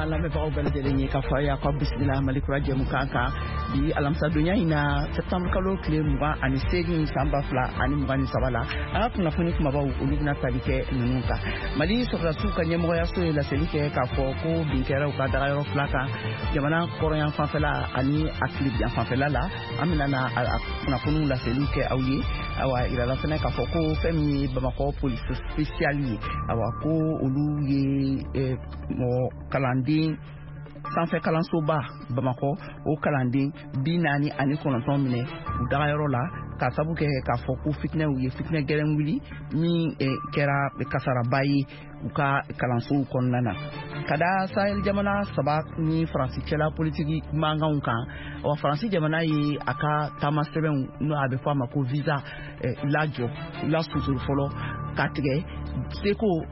An lamɛnbagaw bɛɛ lajɛlen ye k'a fɔ a y'a ka bisimila Mali Kura jɛmukan kan bi alamisadonya in na, septembre kalo tile 28 san 2023 la. An ka kunnafoni kumabaw, olu bɛna tali kɛ ninnu kan: Mali sɔrɔdasiw ka ɲɛmɔgɔyaso ye laseli kɛ k'a fɔ ko bin kɛra u ka dagayɔrɔ fila kan, jamana kɔrɔyan fanfɛla ani a tilebiyan fanfɛla la. An bɛna na a kunnafoniw laseliw kɛ aw ye. Awa, yirala fɛnɛ k'a fɔ ko fɛn min ye Bamakɔ police spéciale ye, awa, ko olu ye mɔgɔ kalanden sanfɛ kalansoba Bamakɔ, o kalanden 49 minɛ u dagayɔrɔ la, k'a sabu kɛ k'a fɔ ko fitinɛw ye fitinɛ gɛlɛn wuli min kɛra kasaraba ye u ka kalansow kɔnɔna na. Ka da Sahel jamana saba ni Faransi cɛla politiki mankanw kan, wa Faransi jamana ye a ka taama sɛbɛnw, n'o a bɛ fɔ a ma ko visa, lajɔ, lasusuru fɔlɔ ka tigɛ seko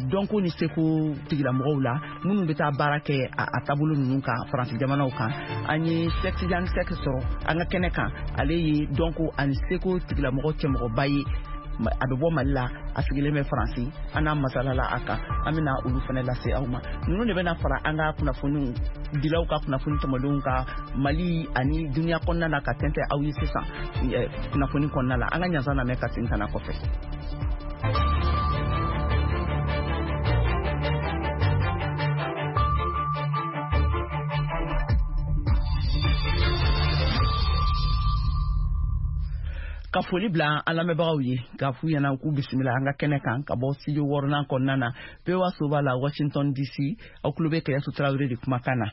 dɔnko ni seko tigilamɔgɔw la minnu bɛ taa baara kɛ a taabolo ninnu kan Faransi jamanaw kan. An ye Sɛk Tidiane Sɛk sɔrɔ an ka kɛnɛ kan. Ale ye dɔnko ani seko tigilamɔgɔ cɛmɔgɔba ye, a bɛ bɔ Mali la, a sigilen bɛ Faransi. An n'a masalala a kan. An bɛna olu fana lase aw ma. Ninnu de bɛna fara an ka kunnafoniw dilaw ka kunnafoni tɔmɔdenw ka Mali ani duniya kɔnɔna na ka tɛntɛn aw ye sisan kunnafoni kɔnɔna la. An ka ɲansan lamɛn ka segin ka na kɔfɛ. Ka foli bila an lamɛnbagaw ye, k'a f'u ɲɛna k'u bisimila an ka kɛnɛ kan ka bɔ studio wɔɔrɔnan kɔnɔna na, VOA soba la, Washington DC. Aw tulo bɛ Kɛyɛsu Tarawele de kumakan na.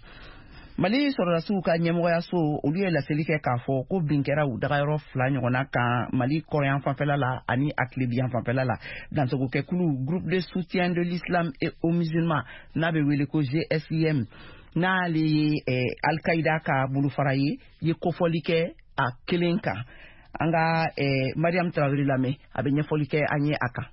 Mali sɔrɔdasiw ka ɲɛmɔgɔyaso, olu ye laseli kɛ k'a fɔ ko bin kɛra u dagayɔrɔ fila ɲɔgɔnna kan, Mali kɔrɔyan fanfɛla la ani a tilebiyan fanfɛla la. Dansogokɛkulu Groupe de soutien de l'islam et aux musulmans, n'a bɛ wele ko GSIM, n'ale ye Al-Qaïda ka bolofara ye, ye kofɔli kɛ a kelen kan. An ka Mariam Tarawele lamɛn, a bɛ ɲɛfɔli kɛ an ye a kan.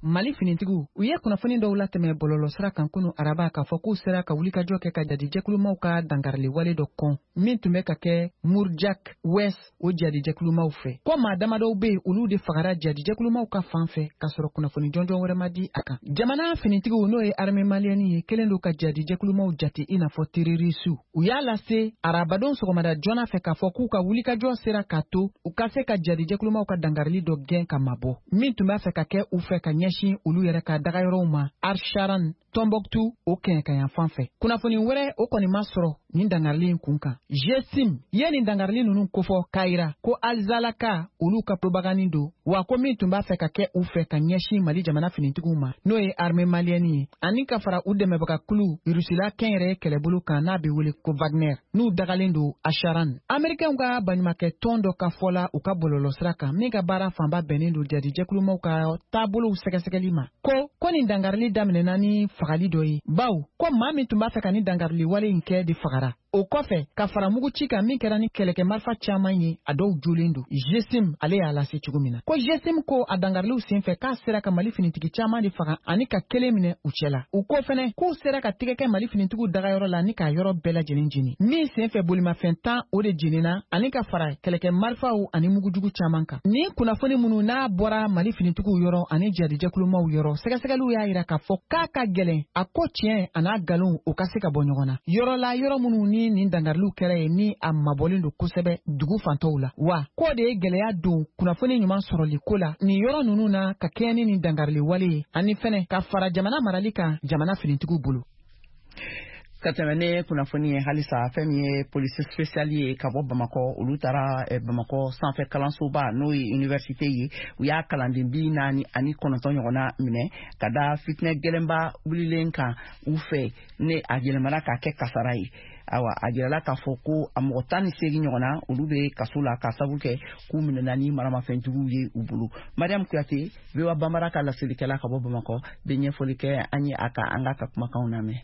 Mali finitigiw, u ye kunnafoni dɔw latɛmɛ bɔlɔlɔsira kan kunu araba k'a fɔ k'u sera ka wulikajɔ kɛ ka jadijɛkulumaw ka dankarili wale dɔ kɔn min tun bɛ ka kɛ Murjak West, o jadijɛkulumaw fɛ, ko maa damadɔw be yen, olu de fagara jadijɛkulumaw ka fan fɛ, k'a sɔrɔ kunnafoni jɔnjɔn wɛrɛ ma di a kan. Jamana finitigiw, n'o ye armée malienne ye, kelen don ka jadijɛkulumaw jate i n'a fɔ terroristew. U y'a lase arabadon sɔgɔmada joona fɛ k'a fɔ k'u ka wulikajɔ sera k'a to u ka se ka jadijɛkulumaw ka dankarili dɔ gɛn ka mabɔ min tun b'a fɛ ka kɛ u fɛ ka ɲɛsin olu yɛrɛ ka dagayɔrɔw ma Arsharan, Tɔnbɔkutu, o kɛɲɛkayan fan fɛ. Kunnafoni wɛrɛ, o kɔni ma sɔrɔ nin dangarili in kun kan. GSIM ye nin dangarili ninnu kofɔ k'a yira ko Alizalaka olu ka propagande don, wa ko min tun b'a fɛ ka kɛ u fɛ ka ɲɛsin Mali jamana finitigiw ma, n'o ye armée malienne ye, ani ka fara u dɛmɛbaga kulu Rusila kɛnyɛrɛye kɛlɛbolo kan, n'a bɛ wele ko Wagner, n'u dagalen don Asharan. Américains ka baɲumakɛ tɔn dɔ ka fɔ la u ka bɔlɔlɔsira kan, min ka baara fanba bɛnnen don jadijɛkulumaw ka taabolow sɛgɛsɛgɛli ma, ko nin dangarili daminɛna ni fagali dɔ ye, baw ko maa min tun b'a fɛ ka nin dangarili wale in kɛ de fagara. O kɔfɛ ka fara mugu ci kan min kɛra ni kɛlɛkɛ marifa caman ye, a dɔw jolen don. GSIM ale y'a lase cogo min na, ko GSIM ko a dangariliw senfɛ k'a sera ka Mali finitigi caman de faga ani ka kelen minɛ u cɛ la. U ko fɛnɛ k'u sera ka tigɛ kɛ Mali finitigiw dagayɔrɔ la ni k'a yɔrɔ bɛɛ lajɛlen jeni, min senfɛ bolimafɛn 10 o de jenina, ani ka fara kɛlɛkɛ marifaw ani mugujugu caman kan. Nin kunnafoni minnu n'a bɔra Mali finitigiw yɔrɔ ani jadijɛkulumaw yɔrɔ, sɛgɛsɛgɛliw y'a yira k'a fɔ k'a ka gɛlɛn a ko tiɲɛ a n'a nkalon o ka se ka bɔ ɲɔgɔn na yɔrɔ la, yɔrɔ minnu ni nin dangariliw kɛra ye, ni a mabɔlen don kosɛbɛ dugu fantɔw la, wa k'o de ye gɛlɛya don kunnafoni ɲuman sɔrɔli ko la nin yɔrɔ ninnu na, ka kɛɲɛ ni nin dangarili wale ye, ani fɛnɛ ka fara jamana marali kan jamana finitigiw bolo. Ka tɛmɛ ne kunnafoni ye halisa, fɛn min ye police spéciale ye ka bɔ Bamakɔ, olu taara Bamakɔ sanfɛ kalansoba, n'o ye université ye, u y'a kalanden 49 ɲɔgɔnna minɛ ka da fitinɛ gɛlɛnba wulilen kan u fɛ, ne a yɛlɛmana k'a kɛ kasara ye. Awa, a jirala k'a fɔ ko a mɔgɔ 18 ɲɔgɔnna, olu bɛ kaso la k'a sabu kɛ k'u minɛna ni maramafɛnjuguw ye u bolo. Mariam Kuyate, VOA Bambara ka laselikɛla ka bɔ Bamakɔ, bɛ ɲɛfɔli kɛ an ye a kan. An k'a ka kumakanw lamɛn.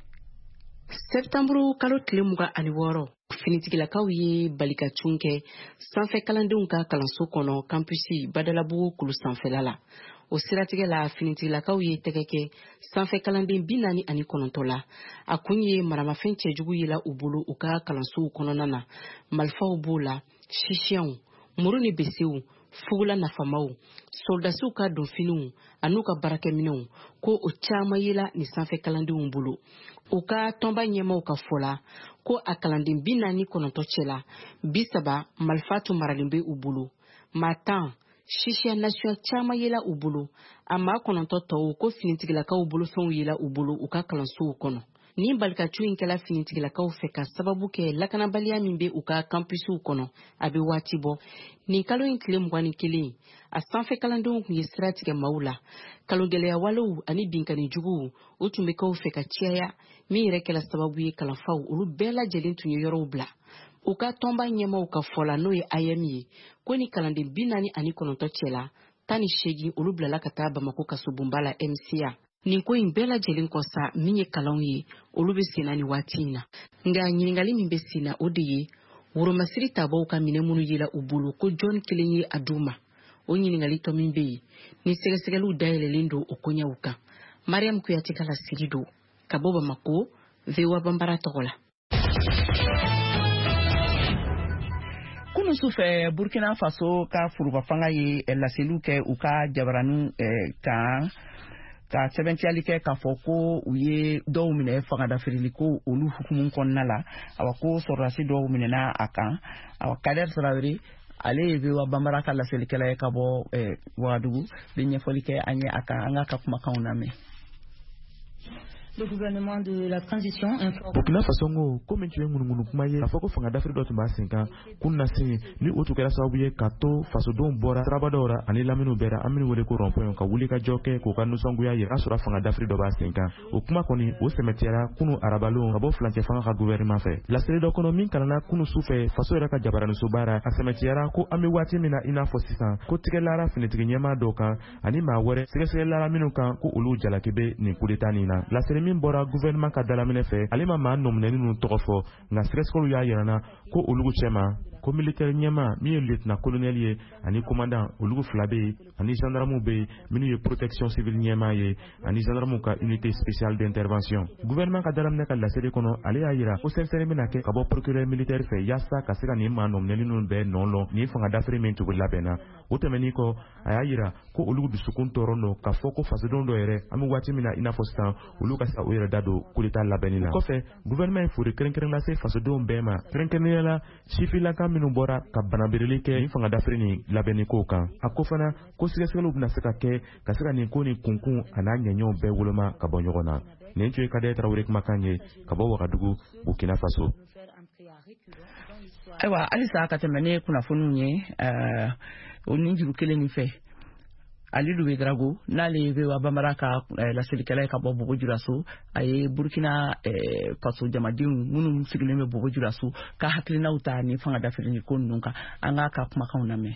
Sɛptanburu kalo tile 26, finitigilakaw ye balikacun kɛ sanfɛ kalandenw ka kalanso kɔnɔ, campus Badalabugu kulu sanfɛla la. O siratigɛ la, finitigilakaw ye tɛgɛ kɛ sanfɛ kalanden 49 la. A kun ye maramafɛn cɛjugu yela u bolo u ka kalansow kɔnɔna na. Marifaw b'o la, sisiɲɛw, muru ni besew. Fugula nafamaw, soldasiw ka donfiniw an'u ka baarakɛminɛnw, ko o caman yela nin sanfɛ kalandenw bolo. U ka tɔnba ɲɛmaw ka fɔ la, ko a kalanden 49 cɛla, 30 marifa tun maralen bɛ u bolo. Maa 10 sisiya nasuya caman yela u bolo. A maa 9 tɔw, ko finitigilakaw bolofɛnw yela u bolo u ka kalansow kɔnɔ. Nin balikatu in kɛla finitigilakaw fɛ ka sababu kɛ lakanabaliya min bɛ u ka kampusiw kɔnɔ a bɛ waati bɔ. Nin kalo in tile 21, a sanfɛ kalandenw tun ye sira tigɛ maaw la. Kalongɛlɛya walew ani binkanni juguw, o tun bɛ k'aw fɛ ka caya, min yɛrɛ kɛla sababu ye kalanfaw olu bɛɛ lajɛlen tun ye yɔrɔw bila. U ka tɔnba ɲɛmaw ka fɔ la, n'o ye AEEM ye, ko ni kalanden 49 cɛla, 18 olu bilala ka taa Bamako kasobonba la MCA. Nin ko in bɛɛ lajɛlen kɔ sa, min ye kalanw ye, olu bɛ senna nin waati in na. Nka ɲininkali min bɛ senna, o de ye woromasiri tabaw ka minɛ minnu yela u bolo, ko jɔn kelen ye a d'u ma? O ɲininkali tɔ min bɛ yen ni sɛgɛsɛgɛliw dayɛlɛlen don o koɲɛw kan. Mariam Kuyate ka laseli don ka bɔ Bamako, VOA Banbara tɔgɔ la. Kunu sufɛ, Burkina Faso ka foroba fanga ye laseliw kɛ u ka jabaraninw kan, ka sɛbɛntiyali kɛ k'a fɔ ko u ye dɔw minɛ fangadafirili ko olu hukumu kɔnɔna la. Awa, ko sɔrɔdasi dɔw minɛna a kan. Awa, Kader Tarawele, ale ye VOA Banbara ka laselikɛla ye ka bɔ Wagadugu, bɛ ɲɛfɔli kɛ an ye a kan. An k'a ka kumakanw lamɛn. Le gouvernement de la transition informe. Burkina Faso ko ko min tun ye ŋunuŋunu kuma ye k'a fɔ ko fanga dafiri dɔ tun b'a sen kan kunnasen, ni o tun kɛra sababu ye ka to fasodenw bɔra sirabadaw ra ani laminiw bɛɛ ra, an minnu wele ko rond-point, ka wuli ka jɔ kɛ k'u ka nisɔngoya yira k'a sɔrɔ fanga dafiri dɔ b'a sen kan, o kuma kɔni, o sɛmɛtiyara kunu arabalon ka bɔ furancɛ fanga ka gouvernement fɛ. Laseli dɔ kɔnɔ min kalanna kunu su fɛ faso yɛrɛ ka jabaranisoba ra, a sɛmɛtiyara ko an bɛ waati min na i n'a fɔ sisan, ko tigɛlara finitigi ɲɛmaa dɔw kan ani maa wɛrɛ sɛgɛsɛgɛlara minnu kan ko olu jalaki bɛ nin kudeta nin na. Laseli min bɔra gouvernement ka dalaminɛ fɛ, ale ma maa nɔminɛni ninnu tɔgɔ fɔ, nka sɛgɛsɛgɛliw y'a yirana ko olu cɛma, ko militaire ɲɛmaa min ye lieutenant colonel ye ani commandant, olu fila bɛ yen, ani gendarmew bɛ yen minnu ye protection civile ɲɛmaa ye ani gendarmew ka unité spéciale d'intervention. Gouvernement ka dalaminɛ ka laseli kɔnɔ, ale y'a yira ko sɛgɛsɛgɛli bɛna kɛ ka bɔ procureur militaire fɛ yaasa ka se ka nin maa nɔminɛni ninnu bɛɛ nɔ lɔn nin fanga dafiri min tugu labɛnna. O tɛmɛnin kɔ, a y'a yira ko olu dusukun tɔɔrɔ don k'a fɔ ko fasodenw dɔ yɛrɛ, an bɛ waati min na i n'a fɔ sisan, olu ka se ka u yɛrɛ da don kudeta labɛnni na. O kɔfɛ, gouvernement ye foli kɛrɛnkɛrɛn lase fasodenw bɛɛ ma, kɛrɛnkɛrɛnnenya la sifilaka minnu bɔra ka banabirili kɛ nin fanga dafiri nin labɛnni kow kan. A ko fana ko sɛgɛsɛgɛliw bɛna se ka kɛ ka se ka nin ko nin kunkun a n'a ɲɛɲɛw bɛɛ woloma ka bɔ ɲɔgɔn na. Nin tun ye Kadɛ Tarawele kumakan ye ka bɔ Wagadugu, Burkina Faso. Ayiwa, halisa ka tɛmɛ ne kunnafoniw ye o nin juru kelen nin fɛ, Alidu Ouédraogo, n'ale ye VOA Banbara ka laselikɛla ye ka bɔ Bobo Julaso, a ye Burkina Faso jamadenw minnu sigilen bɛ Bobo Julaso ka hakilinaw ta ni fanga dafirili ko ninnu kan. An k'a ka kumakanw lamɛn.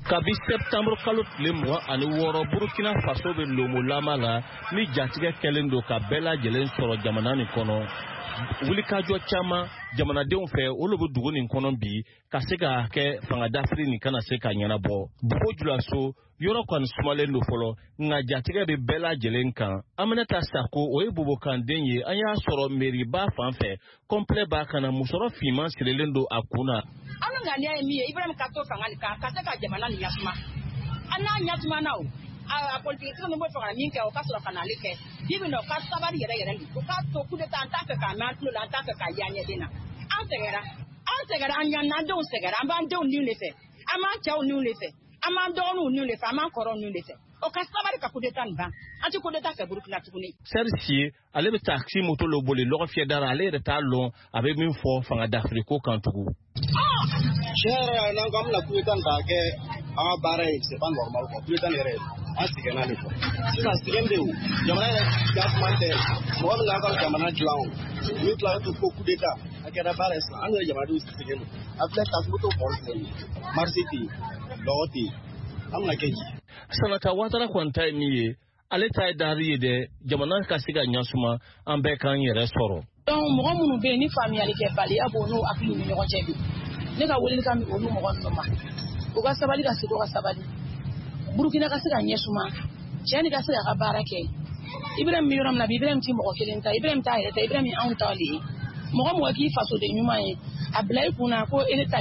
Kabi sɛptanburu kalo tile 26, Burukina Faso bɛ lomolama la ni jatigɛ kɛlen don ka bɛɛ lajɛlen sɔrɔ jamana nin kɔnɔ. Wulikajɔ caman jamanadenw fɛ, olu bɛ dugu nin kɔnɔ bi ka se ka kɛ fanga dafiri nin kana se ka ɲɛnabɔ. Bobo Julaso yɔrɔ kɔni sumalen don fɔlɔ, nka jatigɛ bɛ bɛɛ lajɛlen kan. Aminata Sako, o ye bobokanden ye. An y'a sɔrɔ meriba fan fɛ, complet b'a kan na, musɔrɔ finman sirilen don a kun na. An ka ŋaniya ye min ye, Ibrahim ka to fanga nin kan ka se ka jamana nin ɲasuma. An n'a ɲasumana, o a politiki ninnu bɛ fɛ ka min kɛ, o ka sɔrɔ ka n'ale kɛ bi bi na. O ka sabali yɛrɛ yɛrɛ de, o k'a to coup d'état, an t'a fɛ k'a mɛn an tulo la, an t'a fɛ k'a ye an ɲɛden na. An sɛgɛnra, an sɛgɛnra, an ɲanna, an denw sɛgɛnra. An b'an denw niw de fɛ, an b'an cɛw niw de fɛ, an b'an dɔgɔninw niw de fɛ, an b'an kɔrɔw niw de fɛ. O ka sabali ka coup d'état nin ban. An tɛ coup d'état fɛ Burukina tuguni. Sɛri ale bɛ taxi moto lo boli lɔgɔ fiyɛ da la. Ale yɛrɛ t'a lɔn a bɛ min fɔ fanga dafiri ko kan tugun. Tiɲɛ yɛrɛ la, n'an ko an bɛna coup d'état nin k'a kɛ an ka baara ye, c'est pas normal quoi. Coup d'état nin yɛrɛ, an sɛgɛnna de quoi. Sisan sɛgɛn bɛ yen, o jamana yɛrɛ jasuma tɛ mɔgɔ min n'a ka jamana dilan, o min tila ko coup d'état a kɛra baara ye sisan, an yɛrɛ jamanadenw sɛgɛn don. A filɛ, taxi moto kɔrɔ filɛ nin ye, marché tɛ yen, lɔgɔ tɛ yen, an bɛna kɛ di? Sanata Watara kɔni ta ye min ye, ale ta ye dari ye dɛ, jamana ka se ka ɲasuma, an bɛɛ k'an yɛrɛ sɔrɔ. Donc mɔgɔ minnu bɛ yen ni faamuyali kɛbaliya b'o n'u hakiliw ni ɲɔgɔn cɛ bi, ne ka welelikan bɛ olu mɔgɔ ninnu ma, u ka sabali, ka segin ka sabali, Burukina ka se ka ɲɛsuma, cɛ ni ka se k'a ka baara kɛ. Ibrahim bɛ yɔrɔ min na bi, Ibrahim ti mɔgɔ kelen ta, Ibrahim t'a yɛrɛ ta, Ibrahim ye anw ta de ye. Mɔgɔ mɔgɔ k'i fasoden ɲuman ye, a bila i kunna ko ele talen.